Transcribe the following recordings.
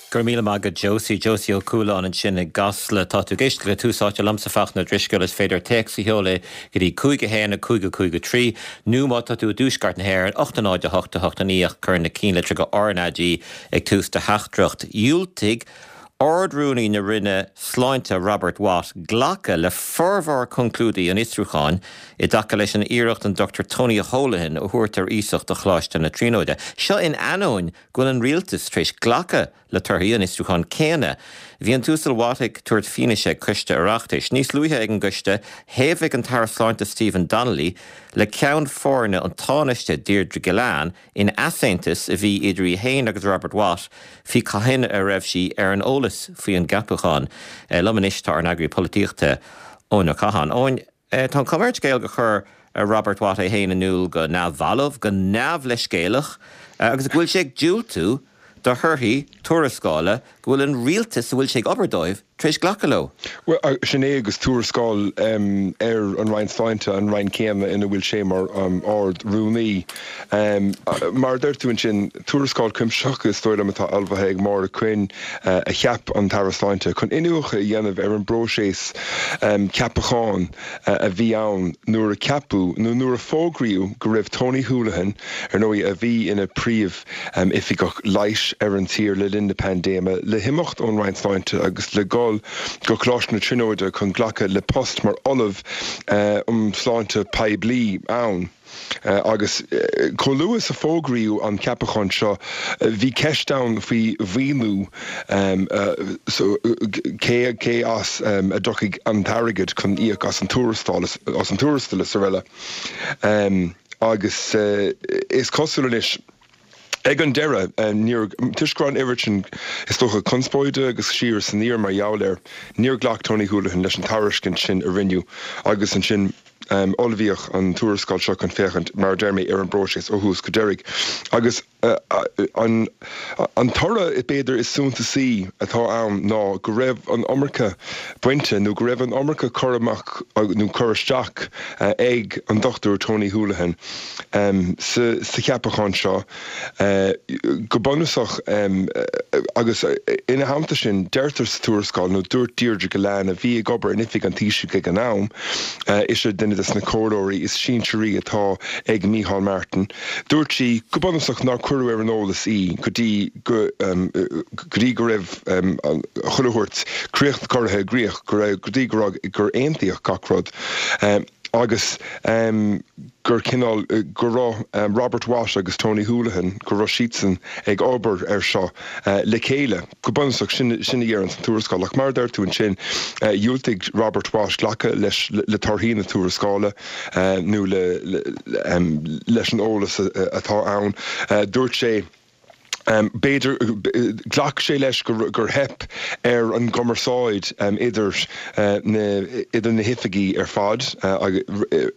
Go raibh míle maith agat Josie. Josie Ó Cualáin ansin i gCasla. Tá tú ag éisteacht le Tús Áite liomsa Fachtna Ó Drisceoil. Is féidir téacs a sheoladh go dtí 5 1 5 5 3 nó má tá tú i dtuaisceart na hÉireann 8 0 8 8 9 ach cuir na cinnlitreacha RnaG ag tús do theachtaireacht. Dhiúltaigh Ard-Rúnaí na Roinne Sláinte Robert Watt glacadh le formhór conclúidí an fhiosrúcháin i dtaca leis an iarracht an Dr Tony Holohan a thabhairt ar iasacht do Choláiste na Tríonóide. Seo in ainneoin go bhfuil an rialtas tar éis glacadh le torthaí an fhiosrúcháin céanna. Bhí an tUasal Watt ag tabhairt fianaise ag coiste Oireachtais. Níos luaithe ag an gcoiste, thaobhaigh an tAire Sláinte Stephen Donnelly le ceann foirne an Tánaiste Deirdre Gillane in easaontas a bhí idir í féin agus Robert Watt faoi cathain a raibh sí ar an eolas faoi an gceapachán. Liom anois tá ár n-eagraí polaitíochta, Eoin Ó Catháin. Eoin, tá an chuma ar an scéal gur chuir Robert Watt é féin in iúl go neamhbhalbh, go neamhleithscéalach agus go bhfuil sé ag diúltú do thorthaí tuarascála go bhfuil an rialtas a bhfuil sé ag obair dóibh tar éis glacadh leo. Bhuel, sin é agus tuarascáil ar an Roinn Sláinte, an Roinn céanna ina bhfuil sé mar Ard-Rúnaí. Mar a deir tú ansin, tuarascáil cuimsitheach is dóigh liom atá ullmhaithe ag Máire Quinn a cheap an tAire Sláinte chun iniúchadh a dhéanamh ar an bpróiseas ceapacháin a bhí ann nuair a ceapadh nó nuair a fógraíodh go raibh Tony Holohan, ar ndóigh, a bhí ina phríomh oifigeach leighis ar an tír le linn na paindéime, le himeacht ón Roinn Sláinte agus le dhul go Coláiste na Tríonóide chun glacadh le post mar Ollamh um Shláinte Poiblí ann. Agus chomh luath is a fógraíodh an ceapachán seo, bhí ceist ann faoi mhaoiniú, cé cé as a dtiocfaidh an t-airgead chun íoc as an tuarastal, as an tuarastal is araile. Agus is cosúil anois, ag an deireadh, níor, toisc go raibh an oiread sin, is dócha, conspóide agus siar is aniar mar gheall air, níor ghlac Tony Holohan leis an tairiscint sin a rinneadh agus ansin ullmhaíodh an tuarascáil seo chun féachaint, mar a deir mé, ar an bpróiseas ó thús go deiridh. Agus. An toradh, b'fhéidir, is suntasaí atá ann ná go raibh an iomarca bainte nó go raibh an iomarca cur amach nó cur isteach ag an Dr Tony Holohan sa cheapachán seo. Go bunúsach, agus ina theannta sin, deirtear sa tuarascáil, nó dúirt Deirdre Gillane, a bhí ag obair in Oifig an Taoisigh ag an am, ise duine de na comhairleoirí is sinsearaí atá ag Micheál Martin, Dúirt sí, go bunúsach, nár cuireadh ar an eolas í go dtí go go dtí go raibh chuile shórt críoch curtha i gcrích, go raibh go dtí go raibh gur aontaíodh gach rud agus gur cineál go raibh Robert Watt agus Tony Holohan, go raibh siadsan ag obair air seo le chéile. Go bunúsach, sin sin a deireann an tuarascáil. Ach mar a deir tú ansin, dhiúltaigh Robert Watt glacadh leis le torthaí na tuarascála. nó leis an eolas atá ann. Dúirt sé, b'fhéidir, ghlac sé leis gur theip ar an gcumarsáid idir na idir na hoifigí ar fad,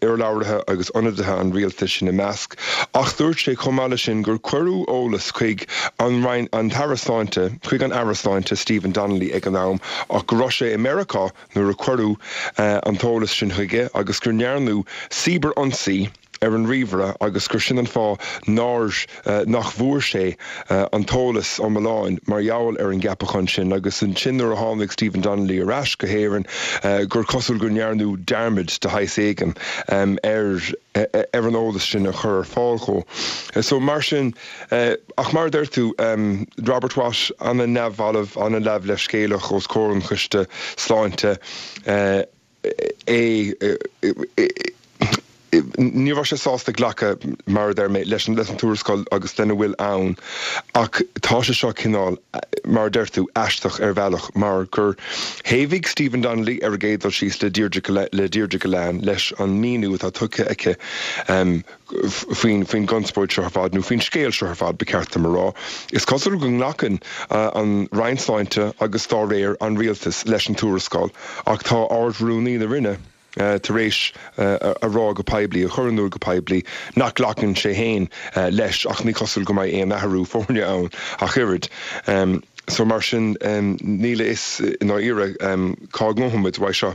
urlabhraithe agus ionadaithe an rialtais ina measc, ach dúirt sé chomh maith leis sin gur cuireadh eolas chuig an Roinn, an tAire Sláinte, chuig an Aire Sláinte Stephen Donnelly ag an am ach go raibh sé i Meiriceá nuair a cuireadh an t-eolas sin chuige agus go ndearnadh cibear-ionsaí ar an ríomhaire agus gur sin an fáth nár nach bhfuair sé an t-eolas iomlán mar gheall ar an gceapachán sin agus ansin nuair a tháinig Stephen Donnelly ar ais go hÉirinn gur cosúil go ndearnadh dearmad de shaghas éigin ar ar an eolas sin a chur ar fáil dhó. So mar sin Ach mar a deir tú, Robert Watt an-neamhbhalbh, an-neamhleithscéalach os comhair an Choiste Sláinte, é, ní raibh sé sásta glacadh, mar a deir mé, leis an tuarascáil agus lena bhfuil ann ach tá sé seo cineál, mar a deir tú, aisteach ar bhealach mar gur thaobhaigh Stephen Donnelly ar an gcéad dul síos le Deirdre Gillane leis an míniú atá tugtha aici faoin faoin gconspóid seo ar fad, nó faoin scéal seo ar fad, ba cheart dom a rá. Is cosúil go nglacann an Roinn Sláinte agus dá réir an Rialtas leis an tuarascáil ach tá Ard-Rúnaí na Roinne tar éis a rá go poiblí, a chur in iúl go poiblí, nach nglacann sé féin leis ach ní cosúil go mbeidh aon athrú foirne ann ach oiread. So mar sin níl a fhios i ndáiríre cá ngabhfaidh muid uaidh seo.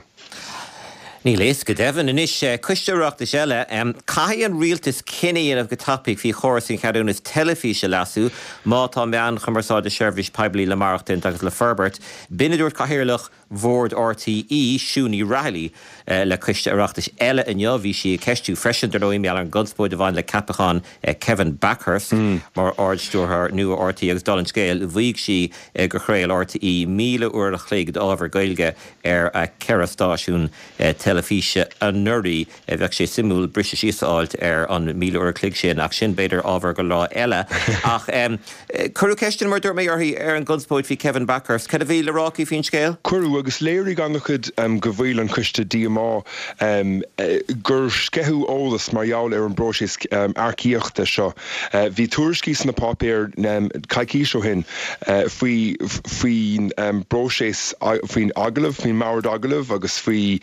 Níl a fhios go deimhin. Anois, Coiste Oireachtais eile, caithfidh an rialtas cinneadh a dhéanamh go tapaidh faoi chóras an cheadúnas teilifíse a leasú má tá meáin chumarsáide seirbhís poiblí le maireachtaint agus le forbairt. B'in a dúirt Cathaoirleach Bhord RTÉ, Siún Ní Raghallaigh, le Coiste Oireachtais eile inniu. Bhí sí ag ceistiú freisin, dar ndóigh, mar gheall ar an gconspóid a bhain le ceapachán Kevin Bakhurst mar Ard-Stiúrthóir nua RTÉ agus dála an scéil, mhaígh sí gur chraol RTÉ 1,000 uair a chloig d'ábhar Gaeilge ar a ceithre stáisiún teilifíse anuraidh. Bheadh sé suimiúil briseadh síos a fháilt ar an 1,000 uair a chloig sin, ach sin b'fhéidir ábhar go lá eile. Ach cuireadh ceisteanna, mar a dúirt mé, uirthi ar an gconspóid faoi Kevin Bakhurst. Cad a bhí le rá aici faoin scéal? Cuireadh, agus léirigh an-chuid de bhaill an choiste díomá gur sceitheadh eolas mar gheall ar an bpróiseas earcaíochta seo. Bhí tuairiscí sna páipéir coicís ó shin faoi faoin bpróiseas, faoin agallamh, faoin mbord agallaimh agus faoi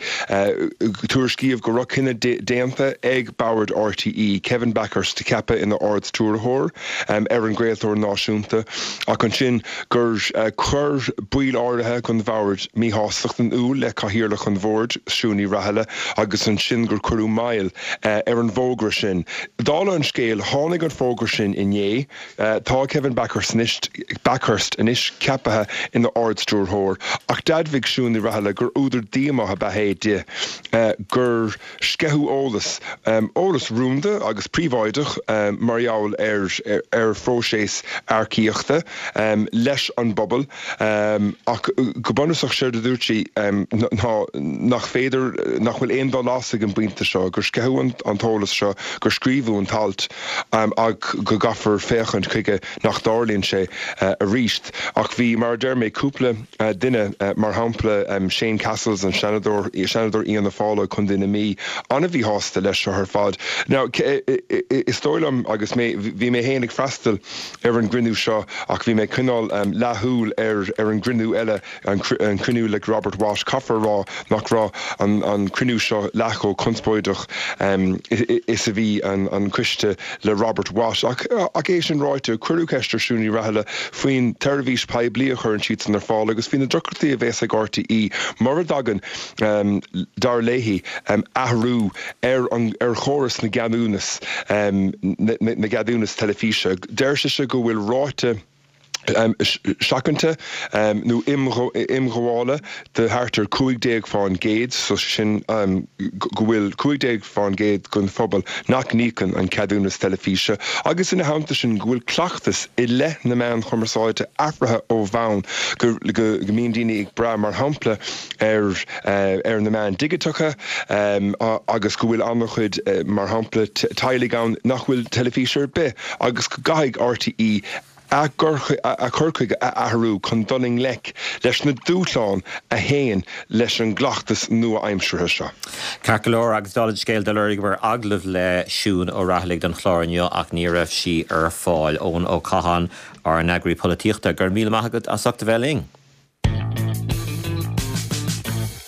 tuairiscíodh go raibh cinneadh déanta ag bord RTÉ Kevin Bakhurst a cheapadh ina Ard-Stiúrthóir ar an gcraoltóir náisiúnta ach ansin gur chuir baill áirithe den bhord míshástacht in iúl le Cathaoirleach an Bhoird, Siún Ní Raghallaigh agus ansin gur cuireadh moill ar an bhfógra sin. Dála an scéil, tháinig an fógra sin inné. Tá Kevin Bakhurst anois ceaptha ina Ard-Stiúrthóir, ach d'admhaigh Siún Ní Raghallaigh gur údar díomá ab ea é di gur sceitheadh eolas, eolas rúnda agus príobháideach mar gheall ar phróiseas earcaíochta, leis an bpobal. Ach go bunúsach, séard a dúirt sí ná nach féidir, nach bhfuil aon dul as ag an bpointe seo, gur sceitheadh an t-eolas seo, gur scríobhadh an t-alt ach go gcaithfear féachaint chuige nach dtarlaíonn sé arís. Ach bhí, mar a deir mé, cúpla duine, mar shampla Shane Cassells, an Seanadóir, Seanadóir Fhianna Fáil ó Chontae na Mí, an-mhíshásta leis seo ar fad. Now, is dóigh liom, agus mé, bhí mé féin ag freastal ar an gcruinniú seo ach bhí mé ag coinneáil leathshúil ar ar an gcruinniú eile, an cruinniú le Robert Watt. Caithfear a rá nach raibh an cruinniú seo leath chomh conspóideach is a bhí an coiste le Robert Watt. Ach é sin ráite, cuireadh ceist ar Siún Ní Raghallaigh faoin tseirbhís poiblí a chuireann siadsan ar fáil agus faoi na deacrachtaí a bheas ag RTÉ mura dtagann, dar léi, athrú ar an ar chóras na gceadúnas na gceadúnas teilifíse. Deir sise go bhfuil ráta seachanta nó imghabhála de thart ar 15%, so sin go bhfuil 15% den phobal nach n-íocann an ceadúnas teilifíse agus ina theannta sin go bhfuil cleachtas i leith na meán chumarsáide athraithe ó bhonn, go mbíonn daoine ag brath mar shampla ar ar na meáin dhigiteacha agus go bhfuil an-chuid, mar shampla, teaghlaigh ann nach bhfuil teilifís ar bith agus go gcaithfidh RTÉ a gcur chuige a athrú chun dul i ngleic leis na dúshláin a théann leis an gcleachtas nua-aimseartha seo. Ceart go leor, agus dála an scéil, d'lorgaíomar agallamh le Siún Ó Raghallaigh don chlár inniu ach ní raibh sí ar fáil. Eoin Ó Catháin, ár n-eagraí polaitíochta, go raibh míle maith agat as ucht a bheith linn.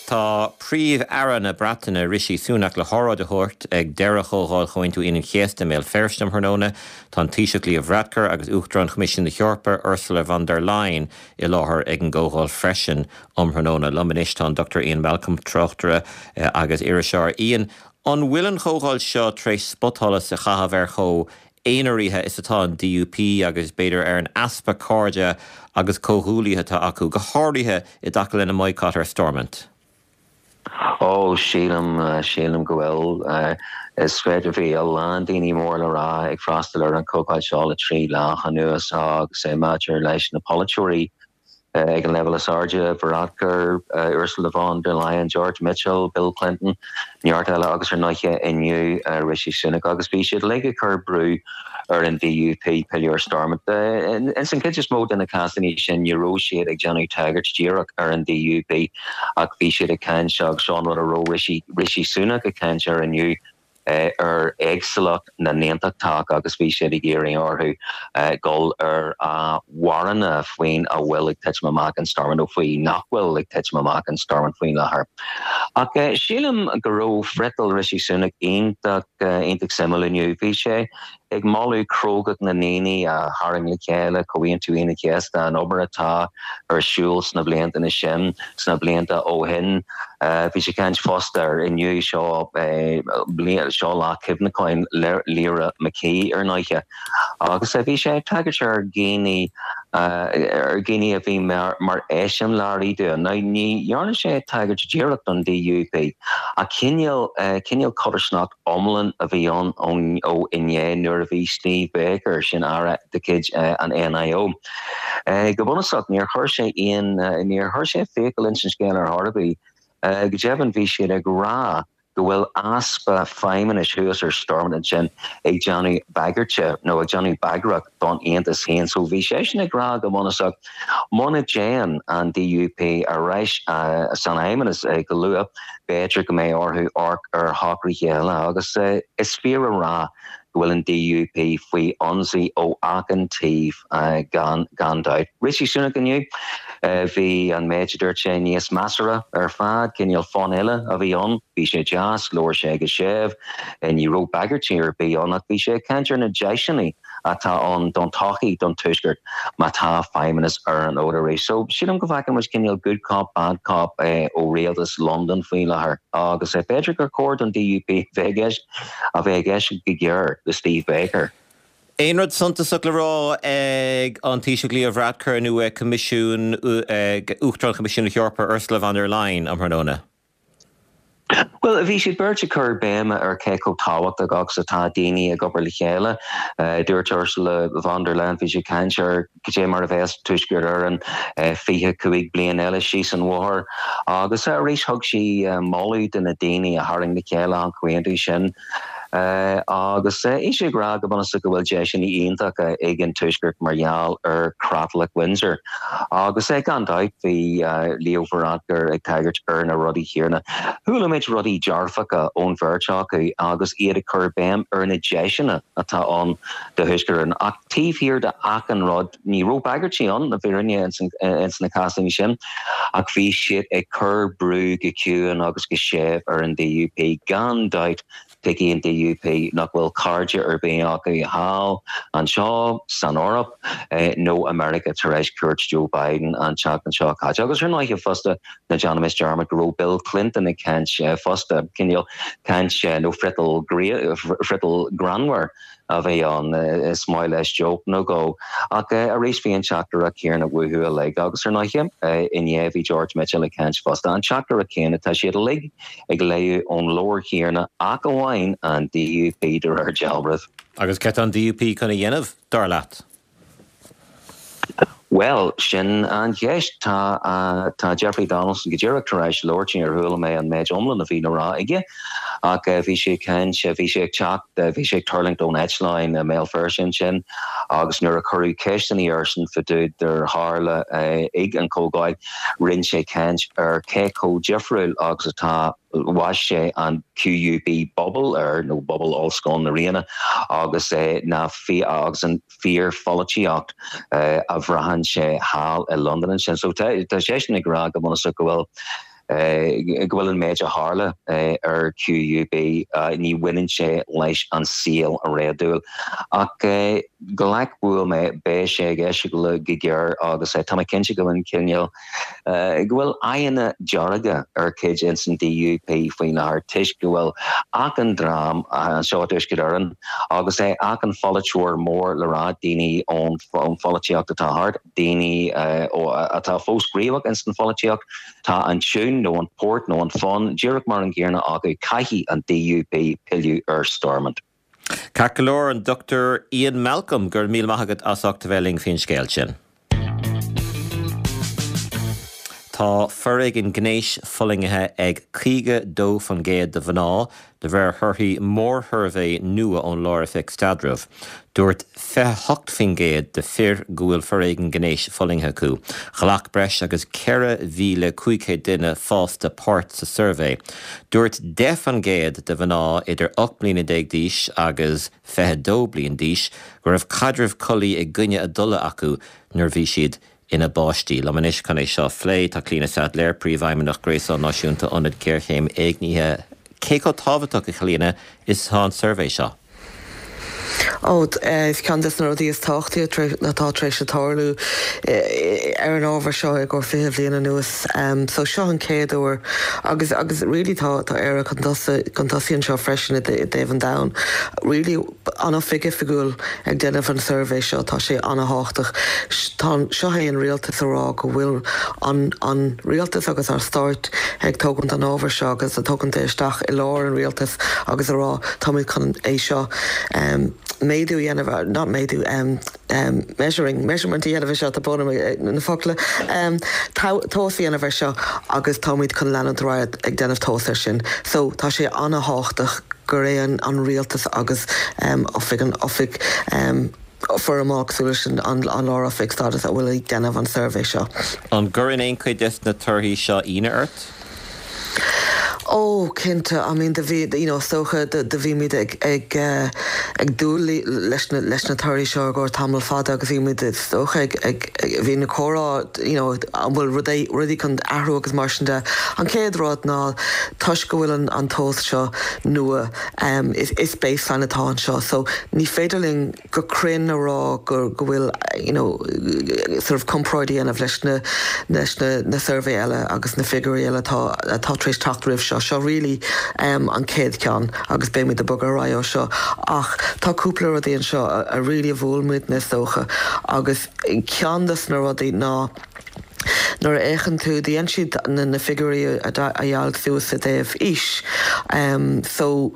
Tá Príomh-Aire na Breataine Rishi Sunak le hóráid a thabhairt ag deireadh Chomhdháil Chomhaontú Aoine an Chéasta i mBéal Feirste um thráthnóna. Tá an Taoiseach Leo Varadkar agus Uachtarán Choimisiún na hEorpa Ursula von der Leyen i láthair ag an gcomhdháil freisin um thráthnóna. Liom anois tá an Dr Ian Malcolm, tráchtaire agus iriseoir. Ian, an bhfuil an chomhdháil seo tar éis spotsholas a chaitheamh ar chomh aonaraithe is atá an DUP agus b'fhéidir ar an easpa cairde agus comhghuaillithe atá acu, go háirithe i dtaca lena mbaghcat ar Stormont. Ó, sílim, sílim go bhfuil. Is féidir, bhí a lán daoine mór le rá ag freastal ar an chomhdháil seo le 3 lá anuas agus maidir leis na polaiteoirí, Ag an leibhéal is airde, Varadkar, Ursula von der Leyen, George Mitchell, Bill Clinton, neart eile agus ar ndóighe inniu Rishi Sunak agus bhí siad uilig ag cur brú ar an DUP pilleadh ar Stormont. Ins an chuid is mó de na cásanna sin ní raibh siad ag déanamh tagairt díreach ar an DUP ach bhí siad ag caint agus seo an rud a raibh Rishi Sunak ag caint air inniu, ar éagsúlacht na n-aontachtach agus bhí siad ag iarraidh orthu dul ar a mharana faoin a bhfuil ag titim amach in Stormont nó faoi nach bhfuil ag titim amach in Stormont faoin láthair. Ach sílim go raibh friotal Rishi Sunak iontach, iontach suimiúil inniu. Bhí sé. ag moladh crógacht na ndaoine a tharraing le chéile Comhaontú Aoine an Chéasta, an obair atá ar siúl sna blianta sin, sna blianta ó shin. Bhí sé ag caint fosta ar inniu seo, seo lá cuimhneacháin Lyra McKee ar ndóiche. Agus bhí sé ag tagairt ar dhaoine, ar dhaoine a bhí mar eiseamláirí dúinn. Now ní dhearna sé tagairt díreach don DUP ach cineál, cineál codarsnacht iomlán a bhí ann ó inné nuair a bhí Steve Baker, sin aire de chuid an NIO. Go bunúsach níor chuir sé aon, níor chuir sé fiacail ins an scéal ar chor ar bith. Go deimhin bhí siad ag rá go bhfuil easpa feidhmeannais thuas ar Stormont ansin ag déanamh bagairte nó ag déanamh bagrach don Aontas féin. So bhí seisean ag rá go bunúsach muna dtéann an DUP ar ais san fheidhmeannas go luath, b'fhéidir go mbeidh orthu amharc ar shocruithe eile agus is fíor a rá go bhfuil an DUP faoi ionsaí ó achan taobh gan gan dabht. Rishi Sunak inniu, bhí an méid a dúirt sé níos measartha ar fad, cineál fonn eile a bhí ann, bhí sé deas, labhair sé go séimh, ní raibh bagairtí ar bith ann ach bhí sé ag caint ar na deiseanna atá ann don todhchaí don Tuaisceart má tá feidhmeannas ar an fhód arís. So sílim go bhfeiceann muid cineál good cop, bad cop ó rialtas Londain faoi láthair agus b'fhéidir gur chóir don DUP bheith a bheith ag éisteacht go géar le Steve Baker. Aon rud suntasach le rá ag an Taoiseach Leo Varadkar nó ag Coimisiún, ag Uachtarán Choimisiún na hEorpa Ursula von der Leyen um thráthnóna? Bhuel, bhí siad beirt ag cur béime ar cé chomh tábhachtach agus atá daoine ag obair le chéile. Dúirt Ursula von der Leyen, bhí sí ag caint ar cad é mar a bheas Tuaisceart Éireann 25 bliain eile síos an bhóthar agus arís thug sí moladh do na daoine a tharraing le chéile an comhaontú sin. Agus bhí sí ag rá go bunúsach go bhfuil deiseanna iontacha ag an Tuaisceart mar gheall ar Chreatlach Windsor. Agus gan dabht bhí Leo Varadkar ag tagairt ar na rudaí céanna. Chuala muid rudaí dearfacha ón bheirt acu agus iad ag cur béim ar na deiseanna atá ann do Thuaisceart Éireann. Ach taobh thiar de achan rud, ní raibh bagairtí ann, le fírinne, ins na cásanna sin, ach bhí siad ag cur brú go ciúin agus go séimh ar an DUP. Gan dabht, tuigfidh an DUP nach bhfuil cairde ar bith acu thall anseo san Eoraip nó i Meiriceá tar éis cuairt Joe Biden an tseachtain seo caite. Agus ar ndóighe fosta, ná déanaimis dearmad go raibh Bill Clinton ag caint fosta, cineál caint nó friotal greannmhar a bhí ann. Is maith leis joke nó dhó. Ach arís bhí an teachtaireacht chéanna uathu uilig. Agus ar ndóighe, inné bhí George Mitchell ag caint fosta. An teachtaireacht chéanna, tá siad uilig ag léamh ón leabhar chéanna ach amháin an DUP de réir dealraimh. Agus céard tá an DUP chun a dhéanamh, dar leat? Bhuel, sin an cheist. Tá tá Jeffrey Donaldson go díreach tar éis labhairt, níor chuala mé an méid iomlán a bhí le rá aige, ach bhí sé ag caint, bhí sé ag teacht, bhí sé ag tuirlingt ón eitleán i mBéal Feirste ansin agus nuair a cuireadh ceisteanna airsean fá dtaobh dár tharla ag an chomhdháil, rinne sé caint ar cé chomh difriúil agus atá bhaist sé an QUB bubble air, nó bubble Ollscoil na Ríona, agus na agus an fíorpholaitíocht a bhraitheann sé thall i Londain ansin. So tá seisean ag rá go bunúsach go bhfuil go bhfuil an méid a tharla ar QUB, ní bhaineann sé leis an saol réadúil. Ach glac uaim é, beidh sé ag éisteacht go géar agus tá mé cinnte go bhfuil an cineál go bhfuil aghaidheanna dearga ar chuid ins an DUP faoi láthair toisc go bhfuil achan dream anseo i dTuaisceart Éireann agus achan pholaiteoir mór le rá, daoine ón pholaitíocht atá thart, daoine atá fós gníomhach ins an pholaitíocht, tá an tiún nó an port nó an fonn díreach mar an gcéanna acu, caithfidh an DUP pilleadh ar Stormont. Ceart go leor, an Dr Ian Malcolm, go raibh míle maith agat as ucht a bheith linn faoin scéal sin. Tá foréigean gnéis fulaingthe ag 52% de mhná, de réir thorthaí mórshuirbhé nua ón Lár-Oifig Staidrimh. Dúirt 28% de fir go bhfuil foréigean gnéis fulaingthe acu. Ghlac breis agus 4,500 duine fásta páirt sa suirbhé. Dúirt 10% de mhná idir 18 mbliana d'aois agus 22 bliain d'aois go raibh caidreamh collaí i gcoinne a dtola acu nuair bhí siad ina bpáistí. Liom anois chun é seo a phlé, tá Clíona Saidléar, Príomhfheidhmeannach Gréasán Náisiúnta Ionad Géarchéim Éignithe. Cé chomh tábhachtach, a Chlíona, is atá an suirbhé seo? Ó, is ceann des na rudaí is tábhachtaí atá tar éis tarlú ar an ábhar seo i gcomhair 20 bhliain anuas. So seo an chéad uair agus agus really tá tá Éire chun tosaigh chun tosaigh anseo freisin i dtaobh an domhain. Really an oifig oifigiúil ag déanamh an suirbhé seo tá sé ana-thábhachtach. Tá seo é an rialtas a rá go bhfuil an an rialtas agus ár stáit ag tógaint an ábhar seo agus ag tógaint é isteach i lár an rialtais agus a rá táimid chun é seo méadú a dhéanamh, not méadú, measuring, measurement a dhéanamh ar seo, tá brón orm na focla, tomhas a dhéanamh ar seo agus táimid chun leanúint ar aghaidh ag déanamh tomhas air sin. So tá sé ana-thábhachtach gur é an rialtas agus oifig an oifig foirmeáil cosúil leis an Lár-Oifig Staidrimh a bhfuil ag déanamh an suirbhé seo. An gcuireann aon chuid des na torthaí seo ionadh ort? Ó, cinnte, I mean do bhí, you know, is dócha do do bhí muid ag ag ag dúil leis na leis na torthaí seo i gcomhair tamall fada agus bhí muid is dócha ag ag bhí na comhrá, you know, an bhfuil rudaí rudaí chun athrú agus mar sin de. An chéad rud ná toisc go bhfuil an an tomhas seo nua, is is baseline atá anseo so ní féidir linn, go cruinn a rá go go bhfuil you know sort of comparáid a dhéanamh leis na leis na na suirbhé eile agus na figiúirí eile atá atá tar éis teacht roimh seo. Seo really um an chéad cheann agus beimid ag bogadh ar aghaidh ó seo ach tá cúpla rudaí anseo a a really a bhuail muidne is dócha agus ceann des na rudaí ná Nuair a fhéachann tú, dhein siad na figiúirí a dheighilt suas i dtaobh aois. So,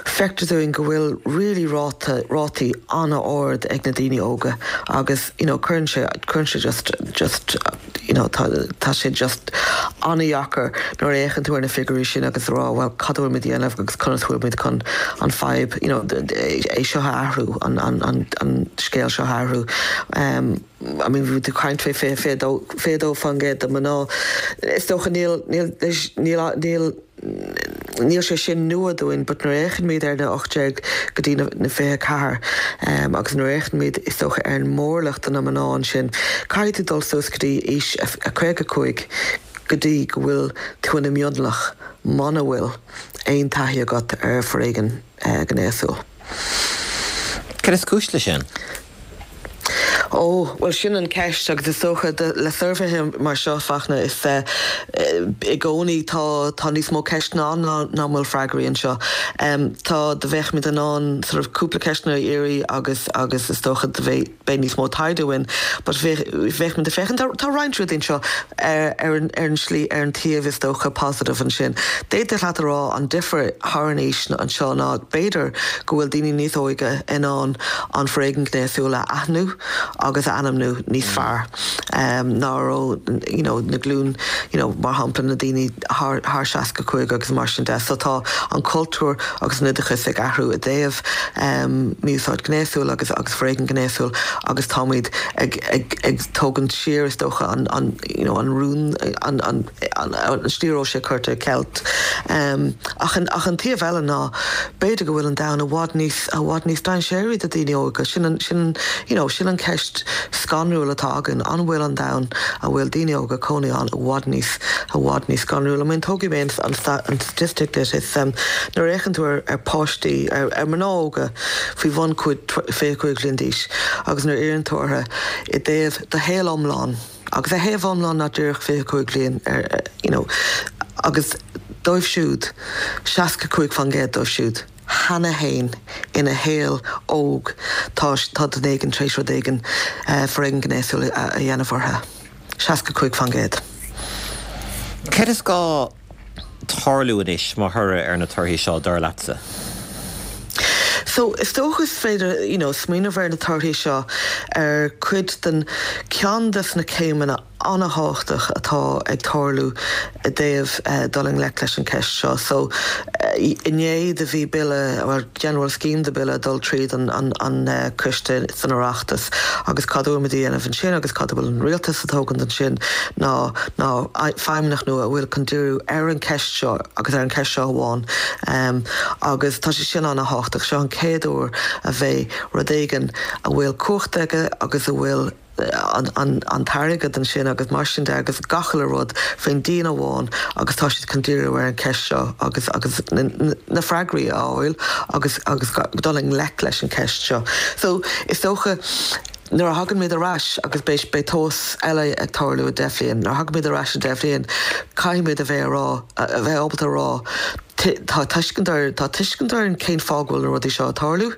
feictear dúinn go bhfuil really ráta, rátaí an-ard ag na daoine óga agus, you know, cuireann sé, cuireann sé just, just, you know, tá, tá sé just an-dheacair nuair a fhéachann tú ar na figiúirí sin agus a rá, bhuel, cad a bhfuil muid a dhéanamh agus conas a bhfuil muid chun an fadhb, you know, é seo a athrú, an, an, an, an scéal seo a athrú. I mean bhí tú ag caint fé 22, 22% de mná. Is dócha níl, níl, níl, níl, níl sé sin nua dúinn but nuair a fhéachann muid ar na 18 go dtí na, na 24 agus nuair a fhéachann muid is dócha ar an mórlach de na mná ansin, caithfidh tú dul suas go dtí aois a 55 go dtí go bhfuil tú ina mionlach muna bhfuil aon taithí agat ar foréigean gnéasúil. Cad is cúis leis sin? Ó, bhuel sin an ceist agus is dócha le suirbhéithe mar seo, Fachtna, is i gcónaí tá tá níos mó ceisteanna ann ná ná bhfuil freagraí anseo. Tá, do bheadh muid in ann sort of cúpla ceisteanna a iarraidh agus agus is dócha do bheadh beidh níos mó taighde uainn but bheadh bheadh muid ag féachaint tá tá roinnt rudaí anseo ar ar an ar an slí ar an taobh is dócha positive ansin. D'fhéadfadh leat a rá an difear thar an aois anseo ná b'fhéidir go bhfuil daoine níos óige in ann an foréigean gnéasúil a aithniú agus a ainmniú níos fearr ná a raibh you know na glúin you know mar shampla na daoine thar thar 65 agus mar sin de. So tá an cultúr agus an oideachas ag athrú i dtaobh mí-úsáid ghnéasúil agus agus foréigean gnéasúil agus táimid ag ag ag tógaint siar is dócha an an you know an rún an an an slí a raibh sé curtha i gceilt. Ach an ach an taobh eile ná b'fhéidir go bhfuil an domhan i bhfad níos i bhfad níos dainséaraí do daoine óga. Sin an sin you know sin an ceist scanrúil atá againn, an bhfuil an domhan a bhfuil daoine óga ag cónaí ann i bhfad níos i bhfad níos scanrúil? I mean tógfaidh mé an an an statistic duit is nuair a fhéachann tú ar ar páistí ar ar mná óga faoi bhun 25 bhliain d'aois agus nuair a iarrann tú orthu i dtaobh do shaol iomlán, Agus a shaol iomlán ná díreach 25 bliain ar you know agus dóibh siúd, 65% dóibh siúd cheana fhéin ina shaol óg tá tá duine éigin tar éis rud éigin foréigean gnéasúil a dhéanamh orthu. 65%. Céard is gá tarlú anois mar thoradh ar na torthaí seo, dar leatsa? So, is dócha is féidir, you know, smaoineamh ar na torthaí seo ar cuid den, ceann des na céimeanna an-thábhachtach atá ag tarlú i dtaobh dul i ngleic leis an ceist seo. So, inné do bhí bille, bhuel, General Scheme de bille ag dul tríd an, an, an coiste san Oireachtas agus cad a bhfuil muid a dhéanamh ansin agus cad a bhfuil an rialtas ag tógaint ansin ná, ná feidhmeannach nua a bhfuil chun díriú ar an cheist seo agus ar an cheist seo amháin agus tá sé sin an-thábhachtach. Seo an chéad uair a bheidh rud éigin a bhfuil cumhacht aige agus a bhfuil. an an t-airgead ansin agus mar sin de agus gach uile rud faoin díon amháin agus tá siad chun díriú ar an cheist seo agus agus na freagraí a fháil agus agus dul i ngleic leis an cheist seo. So is dócha nuair a thagann muid ar ais agus beidh beidh tomhas eile ag tarlú i deich bhliain, nuair a thagann muid ar ais i deich bhliain caithfidh muid a bheith a rá a bheith ábalta a rá tá tuiscint ar tá tuiscint orainn cén fáth go bhfuil na rudaí seo ag tarlú.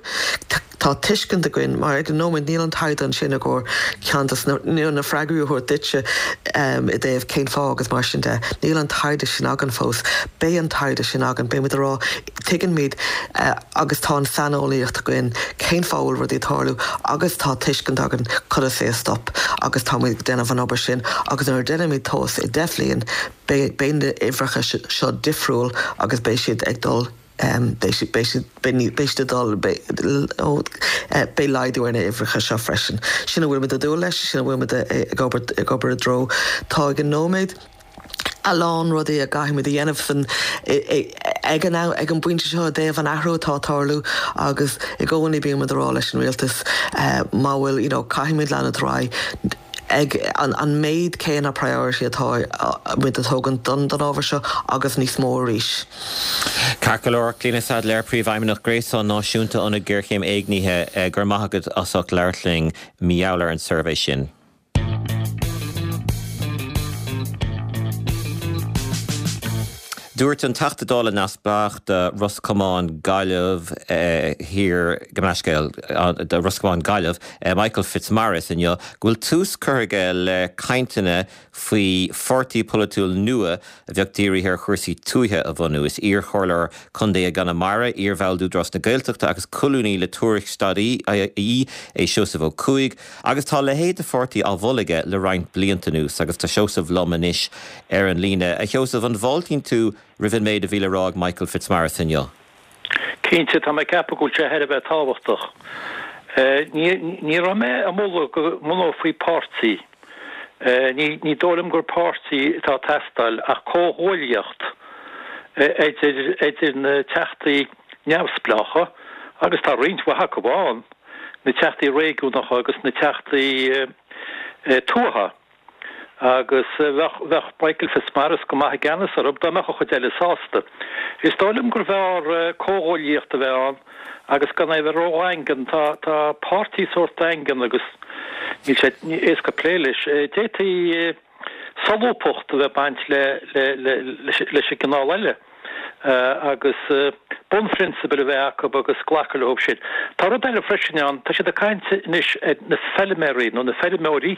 Tá tuiscint againn, mar ag an nóiméad níl an taighde ansin i gcomhair ceann de na na freagraí a thabhairt duitse i dtaobh cén fáth agus mar sin de. Níl an taighde sin againn fós. Beidh an taighde sin againn. Beidh muid ag rá, tuigeann muid agus tá an saineolaíocht againn cén fáth a bhfuil rudaí ag tarlú agus tá tuiscint againn conas é a stop agus tá muid ag déanamh an obair sin agus nuair a déanaimid tomhas i deich bhliain beidh beidh na uimhreacha seo difriúil agus beidh siad ag dul Beidh siad, beidh siad, beidh siad ag dul, beidh laghdú ar na huimhreacha seo freisin. Sin a bhfuil muid ag dúil leis, sin a bhfuil muid ag obair, ag obair i dtreo. Tá ag an nóiméad a lán rudaí a gcaithfidh muid a dhéanamh san, ag an am, ag an bpointe seo i dtaobh an athrú atá ag tarlú agus i gcónaí bíonn muid ag rá leis an rialtas má bhfuil, you know, caithfidh muid leanúint ar aghaidh ag an méid céanna priority atá muid ag tógaint don ábhar seo agus níos mó arís. Ceart go leor, Clíona Saidléar, Príomhfheidhmeannach Gréasán Náisiúnta Ionad Géarchéim Éignithe, go raibh maith agat as ucht labhairt linn mar gheall ar an suirbhé sin. Dúirt an Teachta Dála neamhspleách do Ros Comáin Gaillimh Thiar, gabh mo leithscéal, do Ros Comáin Gaillimh, Michael Fitzmaurice inniu go bhfuil tús curtha aige le cainteanna faoi pháirtí polaitiúil nua a bheadh dírithe ar chúrsaí tuaithe a bhunú. Is iar-chomhairleoir contae i gConamara, iar-bhall d'Údarás na Gaeltachta agus colúnaí le Tuairisc stadaí é Seosamh Ó Cuaig agus tá a leithéid de pháirtí á mholadh aige le roinnt blianta anuas agus tá Seosamh liom anois ar an líne. A Sheosaimh, an bhfáiltíonn tú roimh an méid a bhí le rá ag Michael Fitzmaurice inniu? Cinnte, tá mé ag ceapadh go bhfuil sé thar a bheith tábhachtach. Ní raibh mé ag moladh go mbunófaí páirtí. Ní dóigh liom gur páirtí atá ag teastáil ach comhghuaillíocht idir na teachtaí neamhspleácha, agus tá roinnt mhaith acu ann, na teachtaí réigiúnacha agus na teachtaí tuaithe. Agus bheadh Michael Fitzmaurice go maith i gceannas orthu dá mbeadh an chuid eile sásta. Is dóigh liom gurbh fhearr comhghuaillíocht a bheith ann agus gan é a bheith ródhaingean. Tá páirtí sórt daingean agus níl sé éasca plé leis. D'fhéadfaí solúbthacht a bheith ag baint leis an gcineál eile agus bunphrionsabail a bheith acu agus glacadh leo sin. Tá rud eile freisin ann, tá siad ag caint anois ar na feilméaraí nó na feirmeoirí,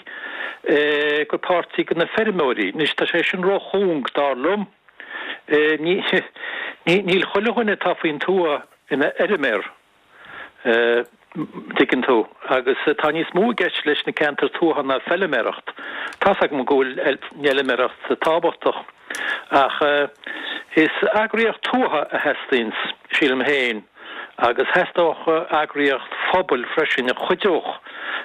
gur páirtí do na feirmeoirí. Anois tá sé sin róchúng dar liom. Níl chuile dhuine atá faoin tuath ina fheirméar. dtuigeann tú. Agus tá níos mó i gceist leis na ceantair tuaithe ná feilméaracht. Tá's agam go bhfuil an fheilméaracht tábhachtach, ach is eagraíocht tuaithe a theastaíonns, sílim féin, agus theastódh eagraíocht phobail freisin a chuideodh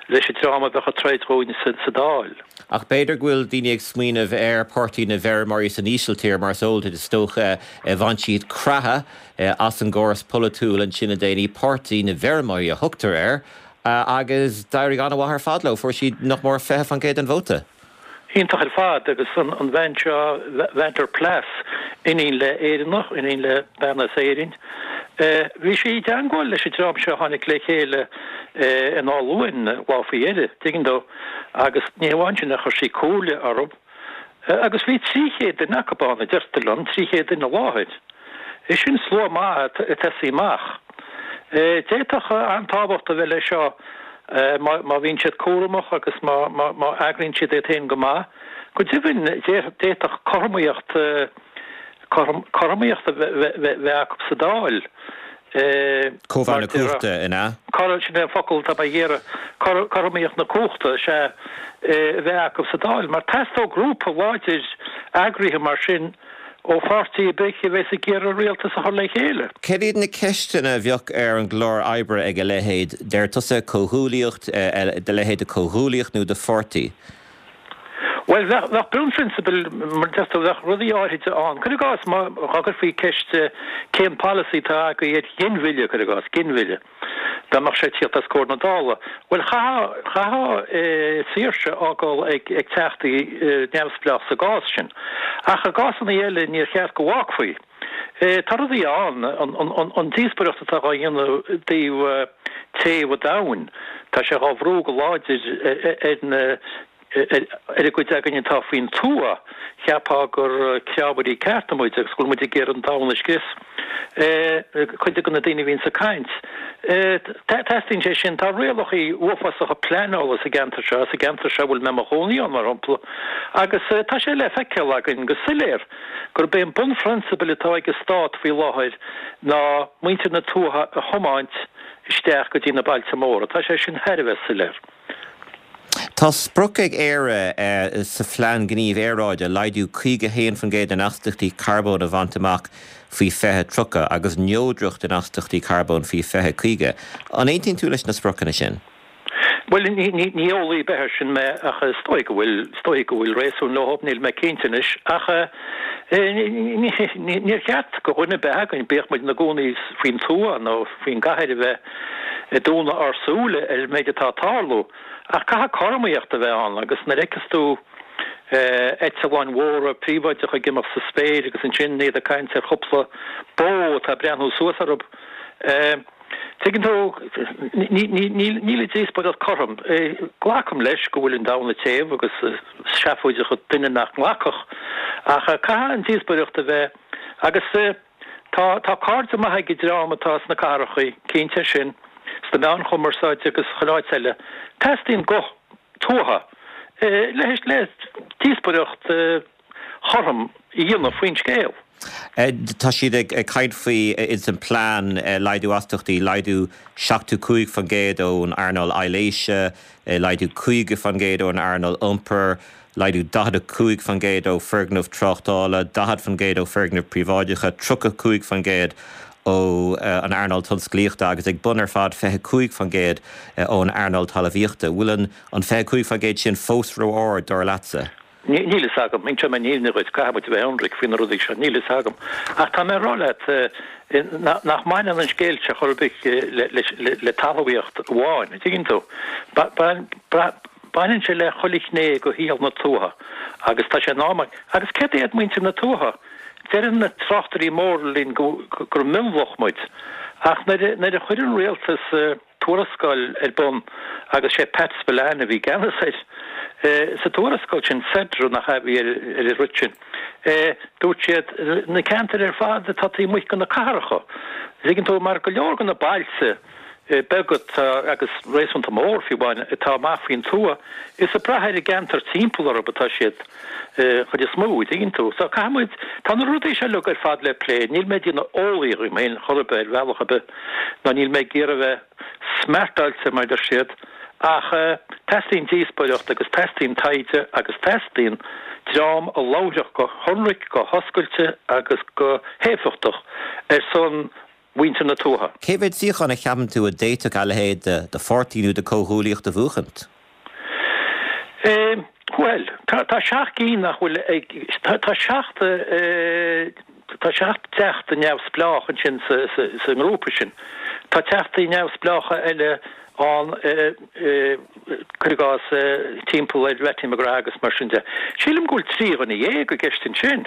leis an dream a bheadh ag troid dhúinn sa Dáil. Ach b'fhéidir go bhfuil daoine ag smaoineamh ar Páirtí na bhFeirmeoirí san Ísiltír, mar is eol duit is dócha, bhain siad creathadh as an gcóras polaitiúil ansin le déanaí, Páirtí na bhFeirmeoirí a thugtar air, agus d'éirigh an-mhaith ar fad leo, fuair siad nach mór 20% den vóta. Iontach ar fad, agus an bhean seo, Van der Plas, iníon le Éireannach, iníon le bean as Éirinn, bhí sí i dteangmháil leis an dream seo a tháinig le chéile in Áth Luain lá faoi dheireadh, tuigeann tú, agus ní hamháin sin ach chuir sí comhairle orthu, Agus bhí 300 duine acu ann, a deirtear liom, 300 duine i láthair. Is sin slua maith ag tosaí amach. D'fhéadfadh an-tábhacht a bheith leis seo má bhíonn siad cúramach agus má eagraíonn siad iad féin go maith. Go deimhin, d'fhéadfadh cothromaíocht, cothromaíocht a bheith acu sa Dáil. Cóimheá na cumhachta, an ea? Sin é an focal atá mé ag iarraidh. Cothromaíocht na cumhachta, is ea, a bheith acu sa Dáil. Mar teastóidh grúpa láidir eagraithe mar sin ó pháirtí ar bith a bheas ag iarraidh rialtas a chur le chéile. Céard iad na ceisteanna a bheadh ar an gclár oibre ag a leithéid, deir tusa, comhghuaillíocht, de leithéid de chomhghuaillíocht nó de pháirtí? Bhuel, bheadh, bheadh bunphrionsabail, mar a deir tú, bheadh rudaí áirithide ann. Cuir i gcás, má, dá gcuirfí ceist cén polasaí atá agaibh ar ghinmhilleadh, cuir i gcás, ginmhilleadh, dá mbeadh sé ag tíocht os comhair na Dála, bhuel, chaithfeá, chaithfeá saoirse a fhágáil ag, ag teachtaí neamhspleách sa gcás sin. Ach i gcásanna eile, níor cheart go bhfágfaí. Tá rudaí ann, an díospóireacht atá dhá dhéanamh i dtaobh téamh an domhain, tá sé dhá bhrú go láidir ar na ar an gcuid againn atá faoin tuath, cheapfá gur crábhairí cearta muid agus go bhfuil muid ag iarraidh an domhan a scrios. Cuid de na daoine a bhíonns ag caint. Teastaíonn sé sin. Tá rialacha uafásacha pleanála sa gceantar seo, sa gceantar seo a bhfuil mé i mo chónaí ann, mar shampla, agus tá sé le feiceáil againn go soiléir. gurb é an bunphrionsabal atá ag an Stát faoi láthair ná muintir na tuaithe a thiomáint isteach go dtí na bailte móra. Tá sé sin thar a bheith soiléir. Tá sprioc ag Éire sa Phlean Gnímh Aeráide laghdú 51% in astaíochtaí carbóin a bhaint amach faoi 2030 agus neodracht in astaíochtaí carbóin faoi 2050. An aontaíonn tú leis na spriocanna sin? Bhuel, ní eolaí ar bith air sin mé ach is dóigh go bhfuil, is dóigh go bhfuil réasún leo, níl mé cinnte anois. Ach níor cheart go dhuine ar bith againn, bíodh muid ina gcónaí faoin tuath nó faoin gcathair, a bheith ag dúnadh ár súile ar an méid atá ag tarlú. Ach caithfidh cothromaíocht a bheith ann agus nuair a fheiceas tú eitleáin mhóra príobháideacha ag imeacht sa spéir agus ansin iad ag caint ar chúpla bó atá ag breathnú suas orthu, Tuigeann tú, níl an díospóireacht cothrom. Glacaim leis go bhfuil an domhan ag téamh agus is seafóideach an duine nach nglacfadh, ach caithfidh an díospóireacht a bheith, agus tá tá cairde maithe ag an dream atá sna cathracha, cinnte sin, sna meáin chumarsáide agus chuile áit eile. Teastaíonn guth tuaithe le le díospóireacht chothrom a dhéanamh faoin scéal. Tá siad ag caint faoi ins an plean laghdú astaíochtaí, laghdú 75% ón earnáil aibhléise, laghdú 50% ón earnáil iompair, laghdú 45% ó foirgnimh tráchtála, 40% ó foirgnimh príobháideacha, 35% ó an earnáil tionsclaíochta agus ag bun ar fad 25% ón earnáil talmhaíochta. Bhfuil an 25% sin fós ró-ard, dar leatsa? Níl fhios agam. Inseoidh mé an fhírinne dhuit, caithfidh muid a bheith ionraic faoi na rudaí seo. Níl fhios agam. Ach tá mé ag rá leat nach mbaineann an scéal seo chor ar bith le talmhaíocht amháin, an dtuigeann tú. Baineann sé le chuile ghné de shaol na tuaithe agus tá sé in am. Agus céard iad muintir na tuaithe? Deireann na tráchtairí móra linn gur mionlach muid. Ach nuair a chuir an rialtas. tuarascáil ar bun agus sé Pat Spillane a bhí i gceannas air. Sa tuarascáil sin, CEDRO nach ea a bhí ar an rud sin, dúirt siad, na ceantair ar fad atá taobh amuigh de na cathracha, tuigeann tú, mar go leor de na bailte beaga atá, agus réasúnta mór fiú amháin, atá amach faoin tuath, is ag brath ar an gceantar timpeall orthu atá siad chuid is mó, tuigeann tú. So caithfidh muid, tá na rudaí seo uilig ar fad le plé, níl mé ag déanamh eolaí dhíom féin chor ar bith ar bhealach ar bith, ná níl mé ag iarraidh a bheith smeartáilte mar a deir siad, ach teastaíonn díospóireacht agus teastaíonn taighde agus teastaíonn dream a labharfadh go hionraic, go hoscailte agus go héifeachtach ar son mhuintir na tuaithe. Cé mhéad suíochán a cheapann tú a d'fhéadfadh a leithéid de pháirtí nó de comhghuaillíocht a bhuachaint? Bhuel, tá seacht gcinn nach bhfuil ag, tá seacht, tá seacht dteachta neamhspleách ansin sa ngrúpa sin. Tá teachtaí neamhspleácha eile ann, cuir i gcás, timpeall ar Mattie McGrath agus mar sin de. Sílim go bhfuil 13 dhuine i gceist ansin.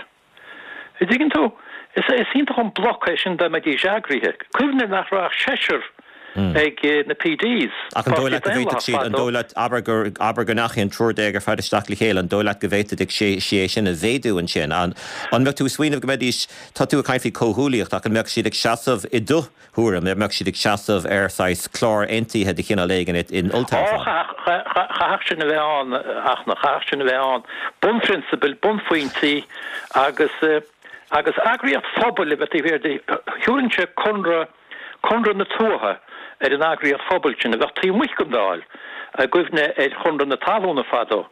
An dtuigeann tú? Is iontach an bloc é sin dá mbeidís eagraithe. Cuimhnigh nach raibh ach seisear ag na PDs, Ach an dóigh leat go bhféadfadh siad, an dóigh leat, abair gur, abair go ndeachaigh an triúr déag ar fad isteach le chéile, an dóigh leat go bhféadfaidís sí é sin a mhéadú ansin? An mbeadh tú ag smaoineamh go mbeidís, tá tú ag caint faoi comhghuaillíocht, ach an mbeadh siad ag seasamh i do thuairim, an mbeadh siad ag seasamh ar saghas clár aontaithe de chineál éigin in olltoghchán? Ó, chaithfeadh sin a bheith ann, ach chaithfeadh sin a bheith ann. Bunphrionsabail, bunphointí agus agus eagraíocht phobail a bheith taobh thiar de. Thabharfainnse Conradh, Conradh na Tuaithe ar an eagraíocht phobail sin a bheadh taobh amuigh den Dáil, i gcuimhne ar Chonradh na Talún fadó.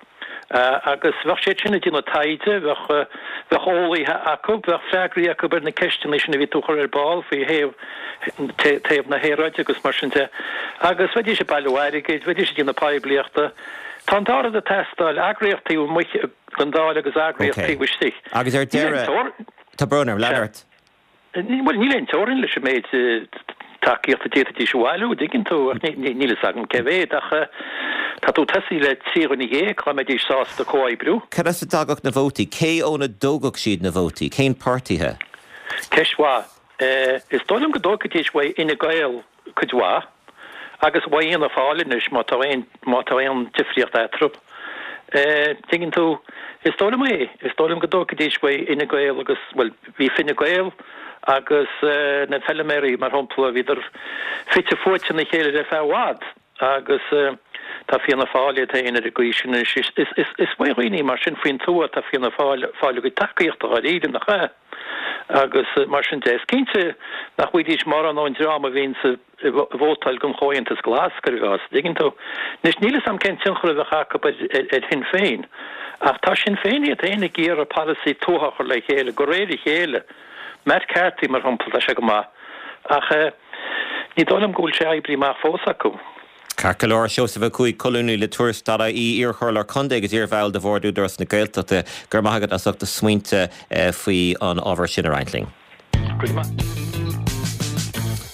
Agus bheadh siad sin ag déanamh taighde, bheadh, bheadh eolaithe acu, bheadh freagraí acu ar na ceisteanna sin a bhí tú a chur ar ball faoi thaobh, taobh na haeráide agus mar sin de. Agus bheidís ag bailiú airgid, bheidís ag déanamh poiblíochta. Tá an dá rud ag teastáil, eagraíocht taobh amuigh den Dáil agus eagraíocht taobh istigh. Agus ar deireadh, tá brón orm, lean ort. Bhuel, níl aon teorainn leis an méid tacaíochta a d'fhéadfaidís a bhailiú, an dtuigeann tú, ach níl fhios agam cé mhéad, ach tá tú ag tosaí le 13 dhuine dá mbeidís sásta comhoibriú. Cad as a dtagadh na vótaí? Cé óna dtógfadh siad na vótaí? Cén páirtithe? Ceist mhaith. Is dóigh liom go dtógfaidís uaidh Fhine Gael cuid mhaith, agus uaidh Fhianna Fáil anois, má tá aon, má tá aon difríocht eatarthu. Tuigeann tú, is dóigh liom é, is dóigh liom go dtógfaidís uaidh Fhine Gael agus, bhuel, bhí Fine Gael agus na feiliméaraí, mar shampla, bhíodar fite fuaite ina chéile ar feadh i bhfad agus tá Fianna Fáil iad féin ar an gcaoi sin anois. Is, is, is uaidh dhaoine mar sin faoin tuath atá Fianna Fáil ag fáil a gcuid tacaíochta dháiríre, nach ea? Agus mar sin de, is cinnte nach bhfaighidís mórán ón dream a bhíonns ag vótáil don Chomhaontas Glas, cuir i gcás, an dtuigeann tú. Anois, níl 'fhios a'm cén tionchar a bheadh acu ar Shinn Féin, ach tá Sinn Féin iad féin ag iarraidh polasaí tuaithe a chur le chéile, de réir a chéile. Matt Carthy, mar shampla, tá sé go maith, ach ní dóigh liom go bhfuil sé oibrithe amach fós acu. Ceart go leor, Seosamh Ó Cuaig, colúnaí le Tuairisc.ie, iarchomhairleoir contae agus iarbhall de Bhord Údarás na Gaeltachta, go raibh maith agat as ucht do smaointe faoi an ábhar sin a roinnt linn. Go raibh maith.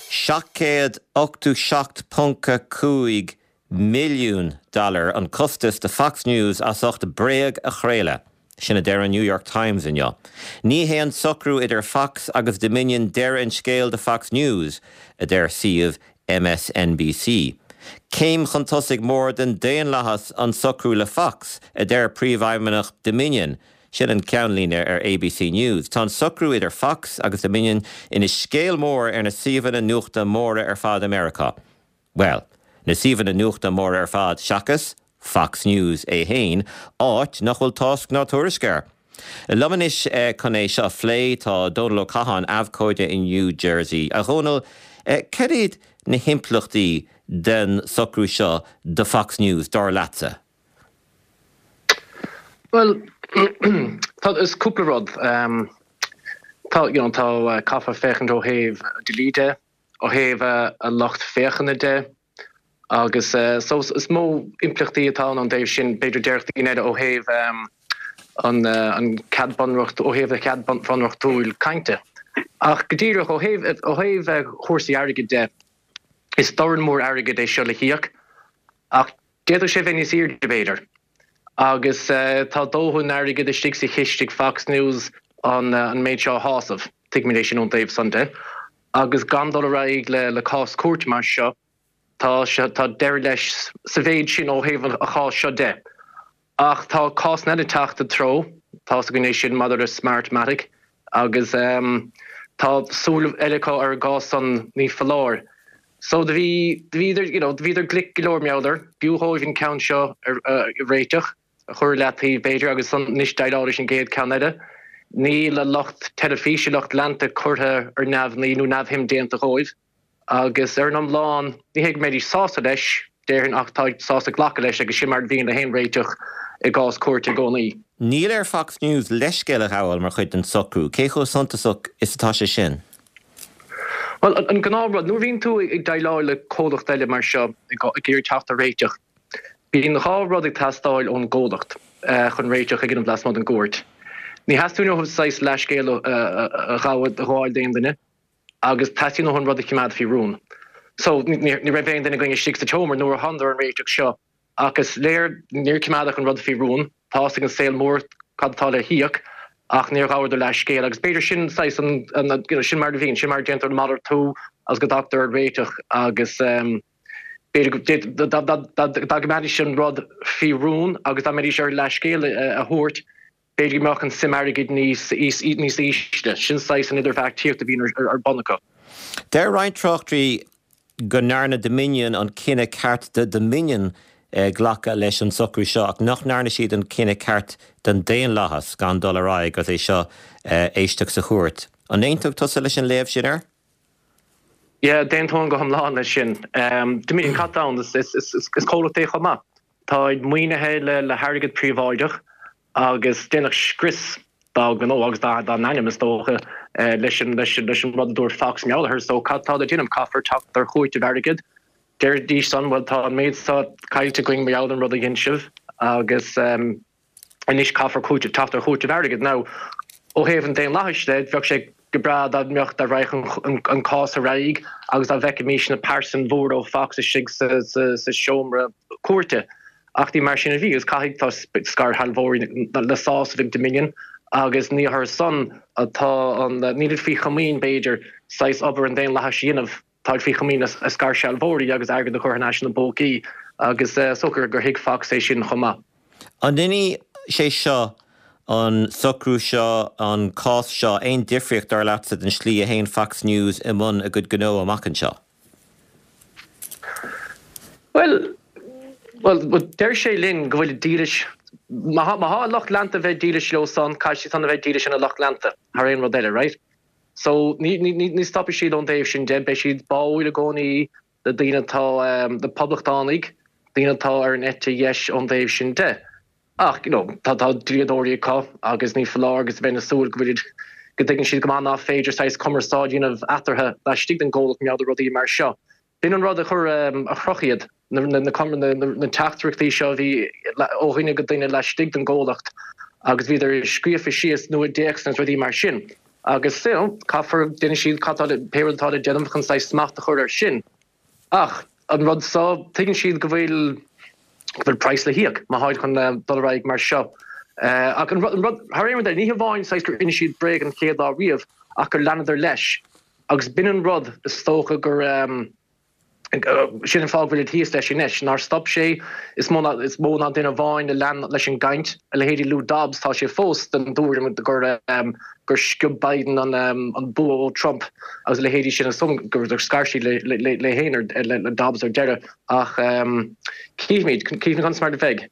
787.5 milliún dollar an costas do Fox News as ucht bréag a chraoladh. Sin a deir an New York Times inniu. Ní hé an socrú idir Fox agus Dominion deireadh an scéil do Fox News, a deir suíomh MSNBC. Céim chun tosaigh mór don daonlathas an socrú le Fox, a deir príomhfheidhmeannach Dominion. Sin an ceannlíne ar ABC News. Tá an socrú idir Fox agus Dominion ina scéal mór ar na suíomhanna nuachta móra ar fad i Meiriceá. Bhuel, na suíomhanna nuachta móra ar fad seachas Fox News é fhéin, áit nach bhfuil tásc ná tuairisc air. Liom anois chun é seo a phlé tá Dónal Ó Catháin, abhcóide i New Jersey. A Dhónaill, cad iad na himpleachtaí den socrú seo do Fox News, dar leatsa? Bhuel, tá, is cúpla rud. Tá, you know, tá, caithfear féachaint ó thaobh dlí de. ó thaobh a lucht féachana de agus so is mó impleachtaí atá ann ón dtaobh sin, b'fhéidir déarfadh daoine eile ó thaobh an an cead bunreacht ó thaobh an chead bunreachtúil cainte. Ach go díreach ó thaobh ó thaobh chúrsaí airgid de, is dorn mór airgid é seo le híoc ach D'fhéadfadh sé bheith níos airde, b'fhéidir. Agus tá dóthain airgid istigh sa chiste ag Fox News an méid seo a shásamh, tuigimid é sin ón dtaobh san de. Agus gan dul ar aghaidh le cás cúirte mar seo, tá tá deireadh leis sa mhéid sin ó thaobh an cháis seo de. Ach tá cásanna eile ag teacht i dtreo, tá's againn é sin maidir le Smartmatic agus tá súil eile acu ar an gcás san, ní foláir. So do bhí, do bhíodar, you know, do bhíodar glic go leor mar gheall air. B'fhiú dhóibh an ceann seo a réiteach, a chur i leataobh b'fhéidir agus ansan anois déileáil leis an gcéad ceann eile. Níl a lucht teilifíse, lucht leanta curtha ar neamhní nó neamhshuim déanta dhóibh agus ar an iomlán ní hé go mbeidís sásta leis, déarfainn, ach táid sásta glacadh leis agus sin mar a bhíonn le haon réiteach i gcás cúirte i gcónaí. Níl ar Fox News leithscéal a ghabháil mar chuid den socrú. Cé chomh suntasach is atá sé sin? Bhuel, an gnáthrud, nuair a bhíonn tú ag déileáil le comhlacht eile mar seo, ag iarraidh teacht ar réiteach, bíonn 2 rud ag teastáil ón gcomhlacht chun réiteach a dhéanamh lasmuigh den gcúirt. Ní theastaíonn uathu saghas leathscéal a ghabháil d'aon duine agus teastaíonn uathu an rud a choimeád faoi rún. So, ní raibh aon duine againn istigh sa tseomra nuair a thánadar ar an réiteach seo. Ach is léir níor coimeádadh an rud faoi rún. Tá's ag an saol mór cad atá le híoc ach níor ghabhadar leathscéal agus b'fhéidir sin saghas an, you know, sin mar a bhíonn, sin mar a déantar an malartú agus go dtagtar ar réiteach agus b'fhéidir go, dá gcoimeádfaidís an rud faoi rún agus dá mbeidís ar leathscéal a thabhairt, B'fhéidir go mbeadh an suim airgid níos ísle. Sin saghas an idirbheartaíocht a bhíonn ar bun acu. Deir roinnt tráchtairí go ndearna Dominion an cinneadh ceart do Dominion glacadh leis an socrú seo ach nach ndearna siad an cinneadh ceart don daonlathas gan dul ar aghaidh agus é seo a éisteacht sa chúirt. An aontódh tusa leis an léamh sin air? Yeah, d'aontóinn go hiomlán leis sin. Dominion, cad tá ann? Is comhlacht é chomh maith. Táid maoinithe le hairgead príobháideach agus déanadh scrios dá ngnó agus dá n-ainm, is dócha, leis an rud a dúirt Fox mar gheall air. So cad tá le déanamh? Caithfear teacht ar chúiteamh airgid. Deiridís san, bhuel tá an méid seo caillte againn mar gheall ar an rud a dhein sibh agus anois caithfear cúiteamh, teacht ar chúiteamh airgid. Now, ó thaobh an daonlathais de, bheadh sé go breá dá mbeadh, dá raghadh an cás ar aghaidh agus dá bhfeicfimís na pearsain mhóra ó Fox istigh sa seomra cúirte. Ach ní mar sin a bhí agus caithfidh, tá scairshealbhóirí le sásamh ag Dominion agus ní orthu san atá an, nílid faoi chomaoin b'fhéidir, saghas obair an daonlathais a dhéanamh. Táid faoi chomaoin a scairshealbhóirí agus airgead a chur thar n-ais ina bpócaí agus is dócha gur thuig Fox é sin chomh maith. An ndéanfaidh sé seo, an socrú seo, an cás seo, aon difríocht, dar leatsa, don slí a théann Fox News i mbun a gcuid gnó amach anseo? Bhuel, bhuel, deir sé linn go bhfuilid dílis, má tá a lucht leanta a bheith dílis leo san, caithfidh siad san a bheith dílis ina lucht leanta thar aon rud eile, right? So, ní, ní, ní stopfaidh siad ón dtaobh sin de, beidh siad báúil i gcónaí le daoine atá, le poblachtánaigh, daoine atá ar an eite dheis ón dtaobh sin de. Ach, you know, tá, tá dlíodóirí acu agus ní foláir agus bheinn ag súil go bhfuilid, go dtuigeann siad go maith nach féidir saghas cumarsáid a dhéanamh eatarthu laistigh den gcomhlacht mar gheall ar rudaí mar seo. B'in an rud a chuir, a chroch iad, na teachtaireachtaí seo a bhí ó dhuine go duine laistigh den gcomhlacht agus bhíodar scríofa síos nó i dtéacsanna agus rudaí mar sin. Agus, you know, caithfear, déanfaidh siad cad tá le, pé rud atá le déanamh chun saghas smacht a chur air sin. Ach an rud seo, tuigeann siad go bhfuil, go bhfuil praghas le híoc má tháid chun dul ar aghaidh mar seo. Ach an rud, thar aon rud eile, ní hamháin saghas gur inis siad bréag an chéad lá riamh ach gur leanadar leis. Agus b'in an rud, is dócha gur, sin an fáth go bhfuilid thíos leis anois, nár stop sé, is mó ná, is mó ná duine amháin a lean leis an gcaint, a leithéidí Lou Dobbs, tá sé fós den dtuairim gur, gur sciob Biden an, an bua ó Trump agus a leithéidí sin, is dóigh gur scar siad le, le, le féin, le Dobbs ar deireadh. Ach cífimid, cífimid conas mar a bheidh.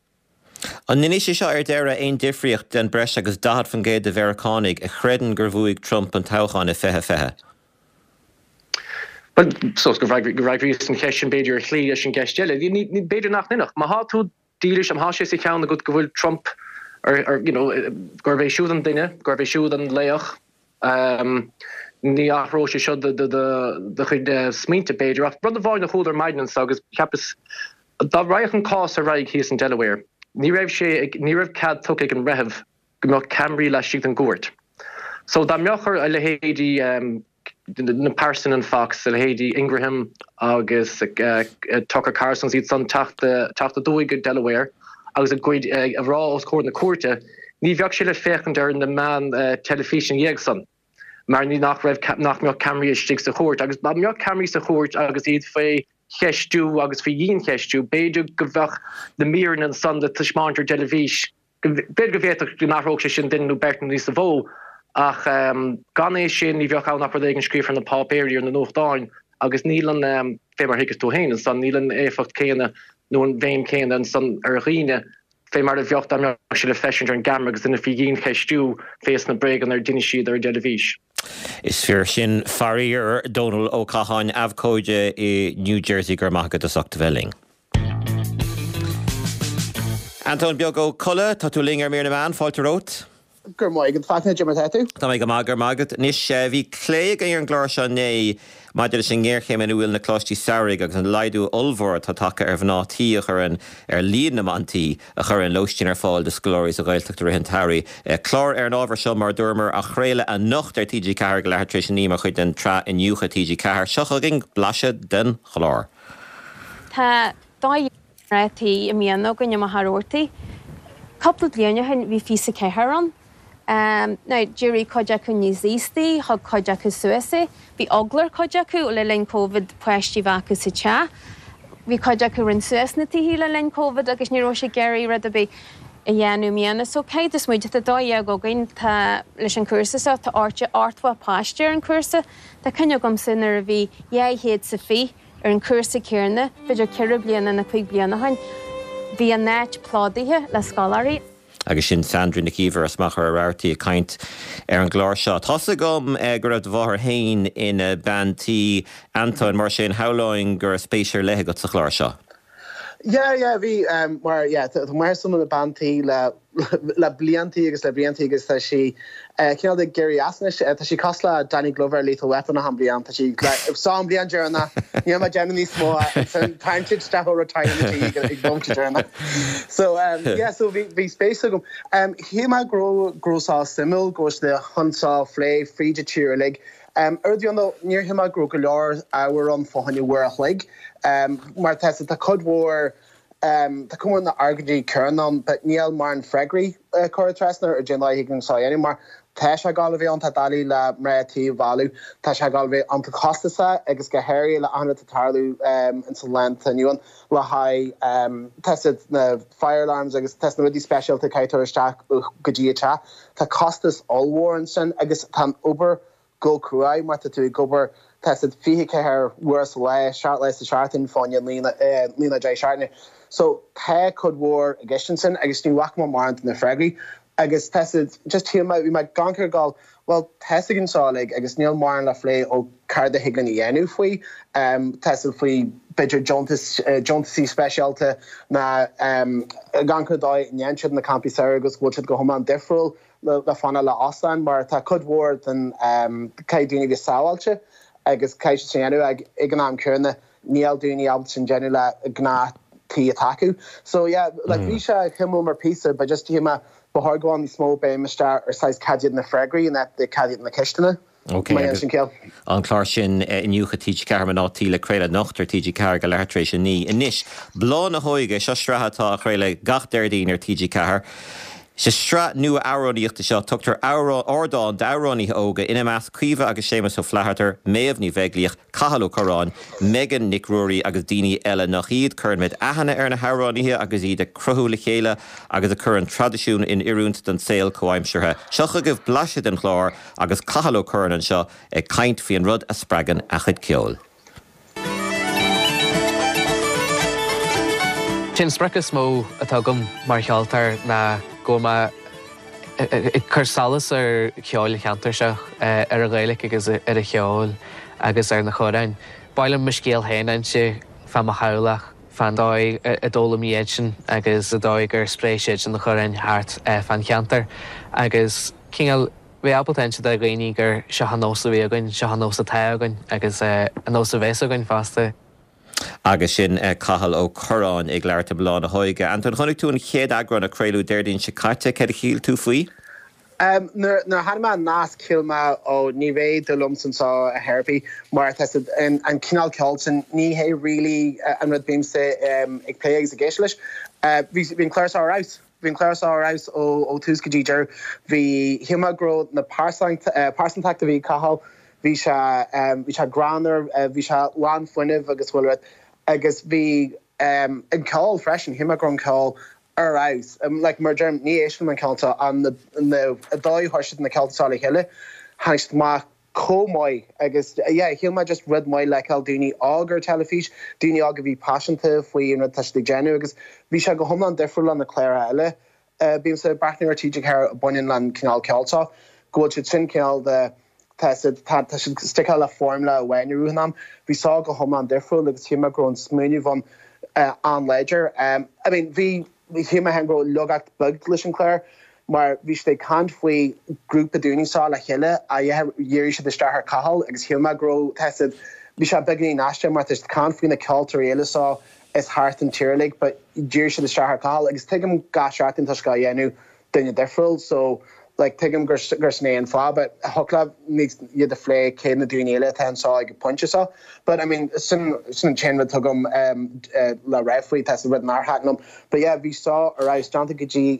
An ndéanfaidh sé seo ar deireadh aon difríocht den breis agus 40% de Mheiriceánaigh a chreideann gur bhuaigh Trump an toghchán i 2020? Bhuel, so go bhfreagraíos an cheist sin b'fhéidir ar shlí leis an gceist eile. B'fhéidir nach ndéanfadh. Má thá tú dílis, má thá sé sa cheann agat go bhfuil Trump ar, you know, gurb é siúd an duine, gurb é siúd an laoch, Ní athróidh sé seo do chuid smaointe, b'fhéidir, ach rud amháin a chuala ar maidin anso agus cheapas, dá raghadh an cás ar aghaidh thíos in Delaware, ní raibh sé, ní raibh cead tugtha ag an mbreitheamh go mbeadh ceamaraí laistigh den gcúirt. So dá mbeadh ar a leithéidí na pearsain in Fox, a leithéidí Ingraham agus Tucker Carlson iad san teacht aduaidh go Delaware agus a gcuid a rá os comhair na cúirte, ní bheadh sé le féachaint ar na meáin teilifíse ina dhiaidh san mar ní nach raibh nach mbeadh ceamaraí istigh sa chúirt agus dá mbeadh ceamaraí sa chúirt agus iad faoi cheistiú agus faoi dhiancheistiú b'fhéidir go mbeadh na míreanna ansan le taispeáint ar dteilifís B'fhéidir go bhféadfadh go n-athródh sé sin duine nó beirt nó níosa mhó, ach gan é sin ní bheadh ann ach rud éigin scríofa ar na páipéirí, ar na nuachtáin, agus níl an, fé mar a thuigeas tú féin ansan, níl an éifeacht céanna nó an bhéim chéanna ansan ar dhaoine fé mar a bheadh dá mbeadh sé le feiscint ar an gceamara agus duine faoi dhiancheistiú fés na bréaganna ar d'inis siad ar an dteilifís. Is fíor sin, faraor. Dónal Ó Catháin, abhcóide i New Jersey, go raibh maith agat as ucht a bheith linn. Antóin Beag Ó Colla, tá tú linn ar Mír na Meán, fáilte romhat. Go raibh maith agat, Fachtna, cad é mar atá tú? Tá mé go maith, go raibh maith agat. Anois, bhí plé againn ar an gclár seo inné maidir leis an ngéarchéim ina bhfuil na coláistí samhraidh agus an laghdú ollmhór atá tagtha ar mhná tí a chuireann, ar líon na mban tí a chuireann lóistín ar fáil do scoláirí sa Ghaeltacht i rith an tsamhraidh. Clár ar an ábhar seo, mar a dúramar, á chraoladh anocht ar TG4 ag leathuair tar éis a 9 mar chuid den tsraith Iniúchadh TG4. Seo chugainn blaiseadh den chlár. Tá 12 mná tí i mbliana againn i Machaire Rabhartaigh. Cúpla bliain ó shin bhí 24 ann. Now, d'éirigh cuid acu níos aostaí, thug cuid acu suas é. Bhí eagla ar cuid acu le linn Covid páistí a bheith acu sa teach. Bhí cuid acu a rinne suas na tithe le linn Covid agus ní raibh siad ag iarraidh rud ar bith a dhéanamh i mbliana. So, caithfidh tú smaoineamh, tá 12 againn, tá, leis an chúrsa seo, tá 80 páiste ar an chúrsa. Tá cuimhne agamsa nuair a bhí 200 sa 20 ar an chúrsa céanna, b'fhéidir ceithre bliana nó cuig bliana ó shin, bhí an áit plódaithe le scoláirí. Agus sin Sandra Nic Íomhair as Machaire Rabhartaigh ag caint ar an gclár seo. Tá's agam go raibh do mháthair féin ina bean tí, Antóin, mar sin shamhlóinn go raibh spéis ar leith agat sa chlár seo. Yeah, yeah, bhí, mar, yeah, tá máthair s'agam ina bean tí le, le bliantaí agus le bliantaí agus tá sí cineál ag éirí as anois. Tá sí cosúil le Danny Glover i Lethal Weapon achan bliain, tá sí like, seo an bliain deireanach, níl mé ag déanamh níos mó, ansin tarraingt siad isteach ó retirement ag ag bomaite deireanach. So, yeah, so bhí, bhí spéis agam. Shíl mé go raibh, go raibh sé suimiúil, go raibh sé chun seo a phlé fríd an tír uilig. Ar rud a dhéanamh, níor shíl mé go raibh go leor ábhar ann fá choinne uair a chloig, mar tá tá cuid mhór, tá cuid mhór na argóintí céanna ann, but níl mórán freagraí curtha trasna ar cén dóigh a thig linn seo a dhéanamh, mar tá sé ag gabháil a bheith ann, tá doiligh le mná tí a mhealladh, tá sé ag gabháil a bheith iontach costasach agus go háirithe le achan rud atá ag tarlú ins an lá atá inniu ann le haghaidh tá siad na fire alarms agus tá na rudaí speisialta a caithfidh tú a chur isteach go dtí an teach. Tá costas ollmhór ansin agus tá an obair go cruaidh mar tá tú ag obair tá siad 24 uair sa lá, 7 lá sa seachtain fá choinne 9 nó 10 seachtaine. So tá cuid mhór i gceist ansin agus ní bhfaca mé mórán de na freagraí agus tá siad just shíl mé, bhí mé ag amharc ar gabháil bhuel tá 'fhios againn seo uilig agus níl mórán le phlé ó céard a thig linn a dhéanamh faoi, tá siad faoi b'fhéidir deontas, deontasaí speisialta ná ag amharc ar dóigh a ndéanann siad na campaí samhraidh agus go bhfuil siad go hiomlán difriúil le fanacht le óstáin mar tá cuid mhór den caithfidh daoine a bheith sábháilte agus caithfidh siad sin a dhéanamh ag ag an am céanna níl daoine ábalta sin déanamh le gnáth tí atá acu. So yeah like bhí sé suimiúil mar píosa but just shíl mé ba chóir go bhfuil níos mó béim isteach ar saghas cad iad na freagraí in áit de cad iad na ceisteanna. Ok, agus an clár sin Iniúchadh TG4 Mná Tí le craoladh anocht ar TG4 ag a leathuair tar éis a 9. Anois, Bláth na hÓige, seo sraith atá á chraoladh gach Déardaoin ar TG4. Sa sraith nua amhránaíochta seo tugtar ardán d'amhránaithe óga, ina measc Caoimhe agus Séamus Ó Flatharta, Méabh Ní Bheaglaoich, Cathal Ó Curráin, Megan Nic Ruairí agus daoine eile nach iad. Cuirimid aithne ar na hamhránaithe agus iad ag cruthú le chéile agus ag cur an traidisiún in oiriúint don saol comhaimseartha. Seo chugaibh blaiseadh den chlár agus Cathal Ó Curráin anseo ag caint faoi an rud a spreagann a chuid ceoil. Sé an sprioc is mó atá agam mar cheoltóir ná go bhfuil mé ag cur solas ar cheol an cheantair seo, ar an Ghaeilge agus ar an cheol agus ar na hamhráin. Ba mhaith liom mo scéal féin a inse fá mo theaghlach, fán dóigh a d'fhoghlaim iadsan agus an dóigh gur spréigh siadsan na hamhráin thart fán cheantar agus cineál bheith ábalta inse do dhaoine gur seo an nós a bhí againn, seo an nós atá againn agus an nós a bheas againn fosta. Agus sin Cathal Ó Curráin ag labhairt i mBláth na hÓige. Antóin, chonaic tú an chéad eagrán a craoladh Déardaoin seo caite. Céard a shíl tú faoi? Nuair a chonaic mé an nasc shíl mé ó ní bheidh dúil liomsa anseo ar chor ar bith mar tá siad an cineál ceoil sin ní hé really an rud bímse ag plé agus ag éisteacht leis. Bhí an clár seo ar fheabhas. Bhí an clár seo ar fheabhas ó tús go dtí deireadh. Bhí, shíl mé go raibh na pearsantacht a bhí ag Cathal, bhí sé, bhí sé greannmhar, bhí sé lán fuinnimh agus chuile rud. Agus bhí an ceol freisin, shíl mé go raibh an ceol ar fheabhas. Like, mar a deirim, ní éistim an ceol seo ach na, na, an dóigh a chuir siad na ceolta seo le chéile, tháinig siad amach chomh maith agus yeah shíl mé just rud maith le feiceáil daoine óg ar teilifís, daoine óg a bhí paiseanta faoi an rud atá siad ag déanamh agus bhí sé go hiomlán difriúil le na cláracha eile bímse ag breathnú ar TG4 a bhaineann le an cineál ceoil seo, go bhfuil siad sin cineál de tá siad tá tá siad sticáil le foirmle amháin i rith an am. Bhí seo go hiomlán difriúil agus shíl mé go raibh an smaoineamh ann an-láidir. I mean bhí shíl mé féin go raibh laigeacht beag leis an chlár mar bhí siad ag caint faoi grúpa daoine seo le chéile ach dhírigh siad isteach ar Cathal agus shíl mé go raibh tá siad bhí sé beagáinín aisteach mar tá siad ag caint faoi na ceoltóirí eile seo is thart an tír uilig but dhírigh siad isteach ar Cathal agus tuigim gach seachtain tá sé á dhéanamh duine difriúil so like tuigim gur gur sin é an fáth but thiocfadh leat níos iad a phlé cé na daoine eile atá anseo ag an pointe seo but I mean sin sin an t-aon rud atá agam le rá faoi tá rud nár thaitin liom but yeah bhí seo ar fheabhas déanta go dtí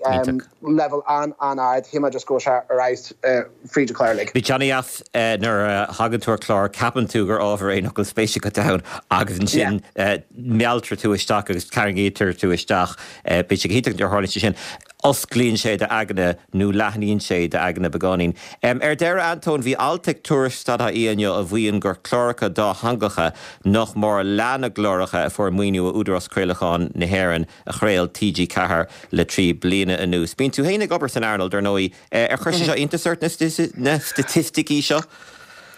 leibhéal an-an-ard shíl mé just go raibh sé ar fheabhas fríd an chlár uilig. Bíonn sé ana-dheas nuair a thagann tú ar chlár ceapann tú gur ábhar é nach bhfuil spéis agat ann agus ansin mealltar tú isteach agus tarraingítear tú isteach. Bíonn sé go hiontach nuair a tharlaíonn sé sin. Osclaíonn sé d'aigne nó leathnaíonn sé d'aigne beagáinín. Ar deireadh, Antóin, bhí alt ag Tuairisc.ie inniu a mhaíonn gur cláracha dátheangacha nach mór leath na gcláracha a fuair maoiniú ó Údarás Craolacháin na hÉireann a chraol TG4 le 3 bliana anuas. Bíonn tú féin ag obair san earnáil, dar ndóigh. Ar chuir sé seo iontas ort, na staitisticí seo?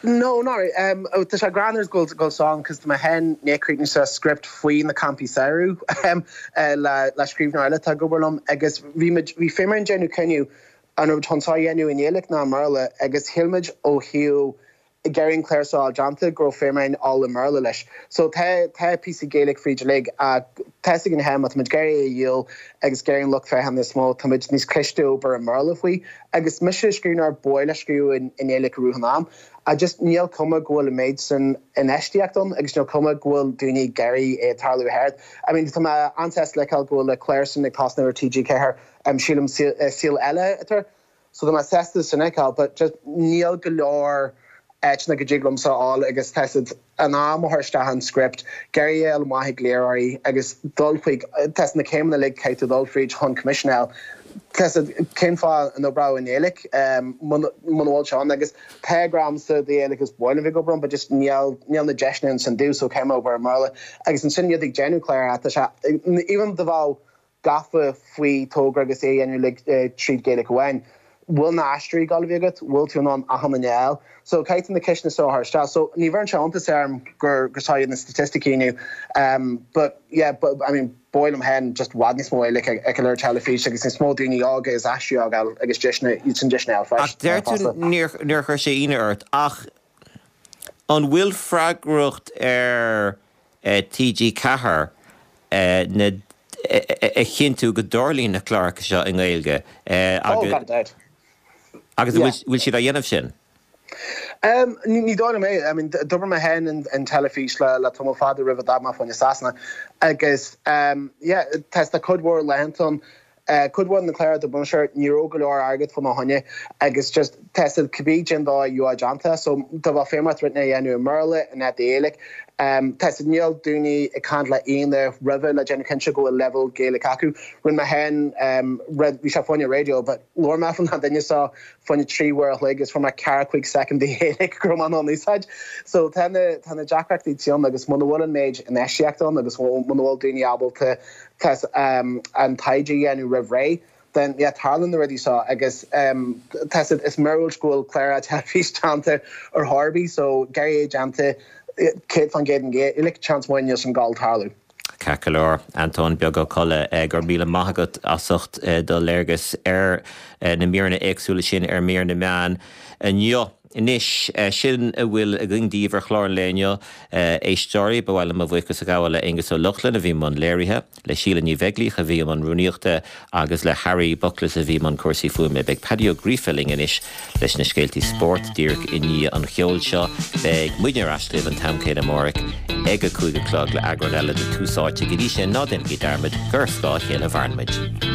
No, not really. Um, oh, tá sé greannmhar go bhfuil sé ann cos tá mé féin i ndiaidh críochnú sa script faoi na campaí samhraidh um, eh, le, le scríbhneoir eile atá ag obair liom agus bhí muid, bhí féim orainn déanamh cinneadh an raibh muid chun seo a dhéanamh i nGaeilge nó i mBéarla agus shíl muid ó thaobh ag iarraidh an clár seo a fháil déanta go raibh féim orainn dul i mBéarla leis. So tá, tá píosa Gaeilge fríd uilig ach tá fhios againn féin má tá muid ag iarraidh é a dhíol agus ag iarraidh an lucht féachana is mó, tá muid níos cliste obair i mBéarla faoi. Agus mise scríbhneoir ba mhaith liom scríobh i nGaeilge i rith an am ach just níl cuma go bhfuil an méid sin infheistíocht ann agus níl cuma go bhfuil daoine ag iarraidh é tarlú thart. I mean tá mé an-sásta le feiceáil go bhfuil na cláir sin ag tosnú ar TG4, sílim Saol Ella atá air. So tá mé sásta sin a fheiceáil but just níl go leor áiteanna go dtig liomsa a fháil agus tá siad an am a chur isteach an script, ag iarraidh é a fháil amach ag léiritheoirí agus dul chuig, tá na céimeanna uilig caithfidh tú dul fríd chun coimisiún a fháil. Tá siad, cén fáth an oibreodh i nGaeilge muna bhfuil sé ann agus tá grá agamsa do Ghaeilge agus ba mhaith liom bheith ag obair ann but just níl, níl na deiseanna ansin domh so caithfidh mé obair i mBéarla agus ansin iad ag déanamh cláir tá sé, even dá mbeadh gafa faoi togra agus é a dhéanamh uilig tríd Gaeilge amháin. Bhfuil na aisteoirí ag gabháil a bheith agat? Bhfuil tú in ann achan duine a fháil? So caithfidh tú na ceisteanna seo a chur isteach. So ní bheireann sé iontas orm gur gur seo iad na staitisticí inniu. But yeah, but I mean ba mhaith liom féin just i bhfad níos mó Gaeilge a fheiceáil ar teilifís agus níos mó daoine óga agus aisteoirí óga a fháil agus deiseanna, iad sin deiseanna a fháil Ach deir tú fosta. níor níor chuir sé ionadh ort ach an bhfuil freagracht ar TG4 na a chinntiú go dtarlaíonn na cláracha seo i nGaeilge Oh, gan dabht. agus an bhfuil siad á dhéanamh sin? Ní dóigh liom é. I mean, d'obair mé féin in teilifís le tamall fada roimh a d'fhág mé fá choinne Sasana agus yeah, tá cuid mhór laethanta ann Cuid mhór de na cláir a d'oibrigh mise air, ní raibh go leor airgead fá na choinne agus just tá siad cibé cén dóigh a gheobhadh déanta. So dá mbeadh féim ort rud a dhéanamh i mBéarla in áit i nGaeilge, tá siad níl daoine ag caint le aoinne roimhe le déanamh cinnte go bhfuil leibhéal Gaeilge acu. Rinne mé féin rud, bhí sé fá choinne raidió but labhair mé faoin duine seo fá choinne 3 uair a chloig agus fuair mé ceathracha cúig soicind de Ghaeilge go raibh mé in ann úsáid. So tá na tá na deacrachtaí ann agus muna bhfuil an méid infheistíocht ann agus muna bhfuil daoine ábalta tá an taighde a dhéanamh roimh ré, then yeah tarlaíonn na rudaí seo agus tá siad, is míorúilt go bhfuil clár teilifís déanta ar chor ar bith so ag iarraidh é déanta 100% i nGaeilge, seans maith níl sin ag gabháil tarlú. Ceart go leor, Antóin Beag Ó Colla, go raibh míle maith agat as ucht do léargas ar na míreanna éagsúla sin ar mír na meán inniu. Anois, sin a bhfuil againn daoibh ar chlár an lae inniu, a éisteoirí. Ba mhaith liom mo bhuíochas a ghabháil le Aonghus Ó Lochlainn a bhí i mbun léirithe, le Síle Ní Bheaglaoich a bhí i mbun rúnaíochta agus le Harry Buckles a bhí i mbun cúrsaí fuaime. Beidh Paddy Ó Gríofa linn anois leis na scéaltaí spóirt díreach i ndiaidh an cheoil seo. Beidh muidne ar ais libh an t-am céanna amárach ag a 5 a chlog le eagrán eile de Tús Áite. Go dtí sin, ná déanaigí dearmad gur ar scáth a chéile a mhaireann muid.